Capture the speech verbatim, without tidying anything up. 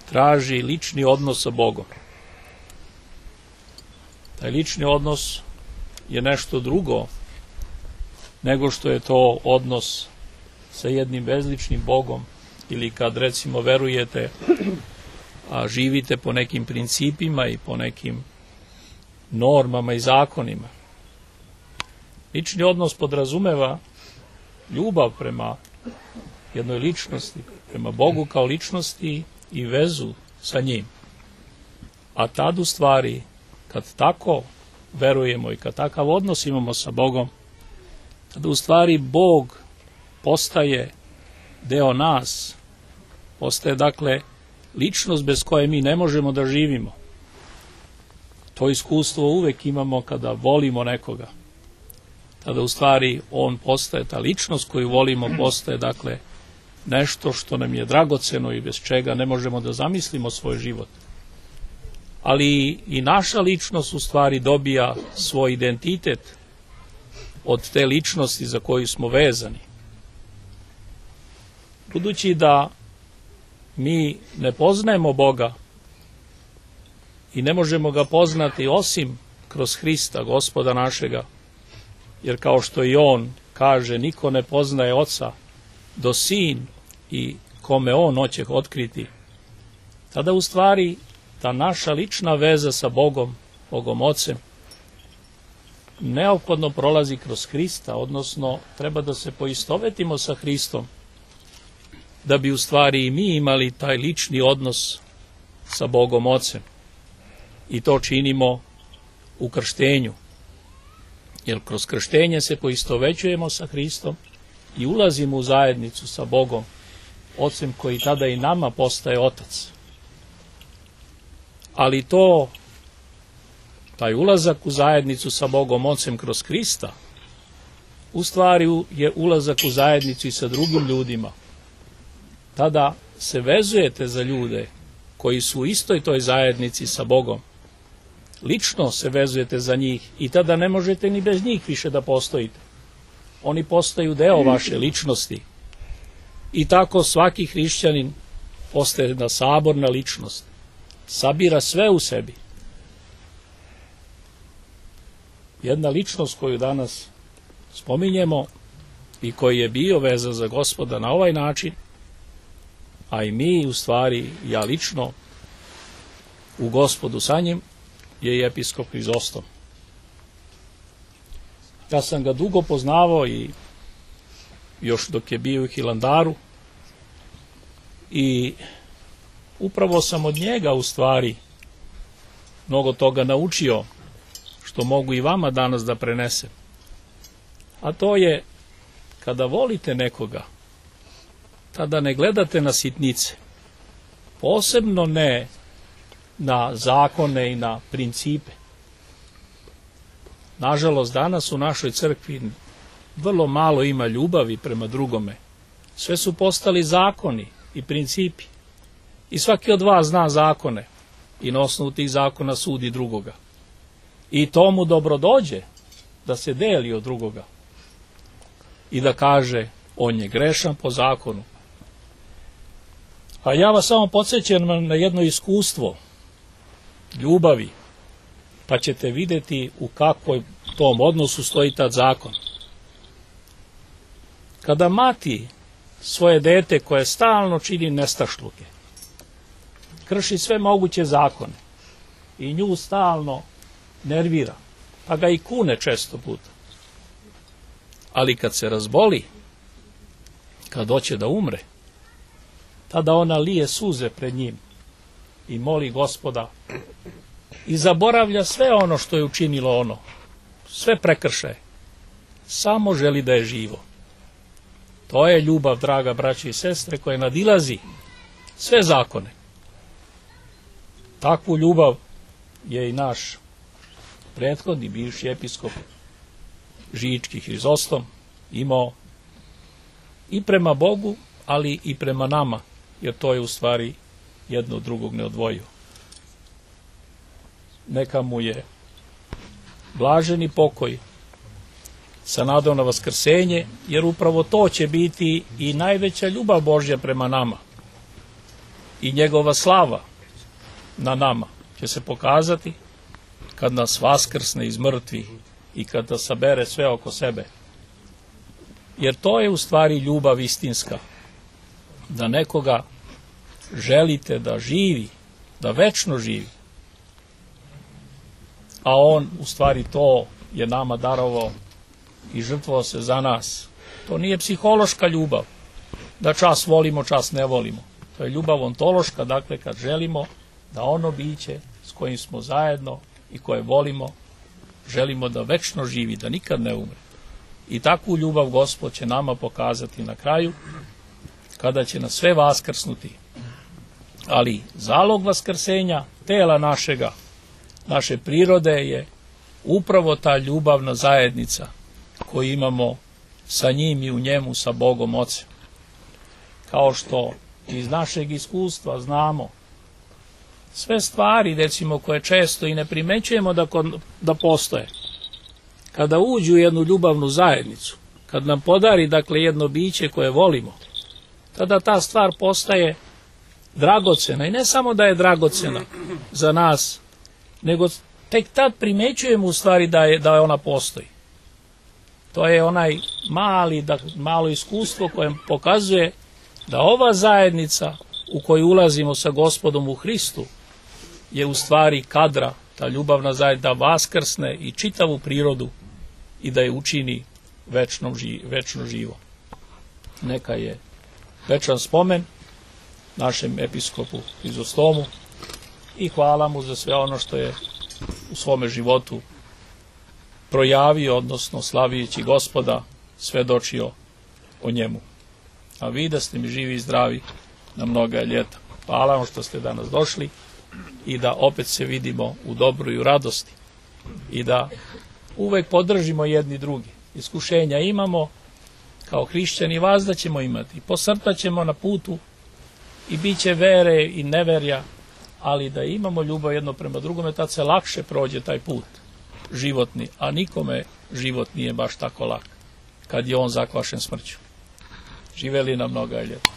traži lični odnos sa Bogom. Taj lični odnos je nešto drugo nego što je to odnos sa jednim bezličnim Bogom, ili kad recimo verujete, a živite po nekim principima i po nekim normama i zakonima. Lični odnos podrazumeva ljubav prema jednoj ličnosti, prema Bogu kao ličnosti i vezu sa njim. A tad u stvari, kad tako verujemo i kad takav odnos imamo sa Bogom, tada u stvari Bog postaje deo nas, postaje dakle ličnost bez koje mi ne možemo da živimo. To iskustvo uvek imamo kada volimo nekoga. Tada u stvari on postaje, ta ličnost koju volimo postaje dakle nešto što nam je dragoceno i bez čega ne možemo da zamislimo svoj život. Ali i naša ličnost u stvari dobija svoj identitet od te ličnosti za koju smo vezani. Budući da mi ne poznajemo Boga i ne možemo ga poznati osim kroz Hrista, Gospoda našega, jer kao što i on kaže, niko ne poznaje Oca do Sin i kome on hoće otkriti, tada u stvari ta naša lična veza sa Bogom, Bogom Ocem, neophodno prolazi kroz Hrista, odnosno treba da se poistovetimo sa Hristom, da bi u stvari i mi imali taj lični odnos sa Bogom Ocem. I to činimo u krštenju, jer kroz krštenje se poistovećujemo sa Hristom i ulazimo u zajednicu sa Bogom Ocem, koji tada i nama postaje Otac. Ali to, taj ulazak u zajednicu sa Bogom Ocem kroz Hrista, u stvari je ulazak u zajednicu i sa drugim ljudima. Tada se vezujete za ljude koji su u istoj toj zajednici sa Bogom. Lično se vezujete za njih i tada ne možete ni bez njih više da postojite. Oni postaju deo vaše ličnosti. I tako svaki hrišćanin postaje jedna saborna ličnost. Sabira sve u sebi. Jedna ličnost koju danas spominjemo i koji je bio vezan za Gospoda na ovaj način, a i mi u stvari, ja lično, u Gospodu sa njim, je i episkop Hrizostom. Ja sam ga dugo poznavao i još dok je bio u Hilandaru i upravo sam od njega u stvari mnogo toga naučio, što mogu i vama danas da prenesem. A to je, kada volite nekoga, tada ne gledate na sitnice, posebno ne na zakone i na principe. Nažalost, danas u našoj crkvi vrlo malo ima ljubavi prema drugome. Sve su postali zakoni i principi. I svaki od vas zna zakone i na osnovu tih zakona sudi drugoga. I to mu dobro dođe da se deli od drugoga i da kaže on je grešan po zakonu. A ja vas samo podsjećam na jedno iskustvo ljubavi, pa ćete vidjeti u kakvoj tom odnosu stoji tad zakon. Kada mati svoje dete koje stalno čini nestašluke, krši sve moguće zakone i nju stalno nervira, pa ga i kune često puta. Ali kad se razboli, kad hoće da umre, tada ona lije suze pred njim i moli Gospoda i zaboravlja sve ono što je učinilo ono, sve prekršaje, samo želi da je živo. To je ljubav, draga braće i sestre, koja nadilazi sve zakone. Takvu ljubav je i naš prethodni bivši episkop Žički Hrizostom imao i prema Bogu, ali i prema nama, jer to je u stvari jedno od drugog neodvojivo. Neka mu je blaženi pokoj sa nadom na vaskrsenje, jer upravo to će biti i najveća ljubav Božja prema nama. i njegova slava na nama će se pokazati kad nas vaskrsne iz mrtvih i kad nas sabere sve oko sebe. Jer to je u stvari ljubav istinska, da nekoga želite da živi, da večno živi, a on u stvari to je nama darovao i žrtvovao se za nas. To nije psihološka ljubav, da čas volimo, čas ne volimo. To je ljubav ontološka, dakle kad želimo da ono biće s kojim smo zajedno i koje volimo, želimo da večno živi, da nikad ne umre. I takvu ljubav Gospod će nama pokazati na kraju, kada će nas sve vaskrsnuti. Ali zalog vaskrsenja tela našega, naše prirode je upravo ta ljubavna zajednica koju imamo sa njim i u njemu, sa Bogom Ocem. Kao što iz našeg iskustva znamo, sve stvari, recimo, koje često i ne primećujemo da, da postoje, kada uđu u jednu ljubavnu zajednicu, kad nam podari, dakle, jedno biće koje volimo, tada ta stvar postaje dragocena. I ne samo da je dragocena za nas, nego tek tad primećujemo u stvari da je, da je ona postoji. To je onaj mali, da, malo iskustvo koje pokazuje da ova zajednica u koju ulazimo sa Gospodom u Hristu je u stvari kadra, ta ljubavna zajednica, vaskrsne i čitavu prirodu i da je učini večnom, večno živo. Neka je večan spomen našem episkopu Hrizostomu i hvala mu za sve ono što je u svome životu projavio, odnosno slavijući Gospoda, svedočio o njemu. A vi da ste mi živi i zdravi na mnoga ljeta. Hvala vam što ste danas došli i da opet se vidimo u dobru i u radosti i da uvek podržimo jedni drugi. Iskušenja imamo, kao hrišćani vazda ćemo imati, posrtaćemo na putu i bit će vere i neverja, ali da imamo ljubav jedno prema drugome, tad se lakše prođe taj put životni, a nikome život nije baš tako lak kad je on zakvašen smrću. Živeli na mnoga ljeta.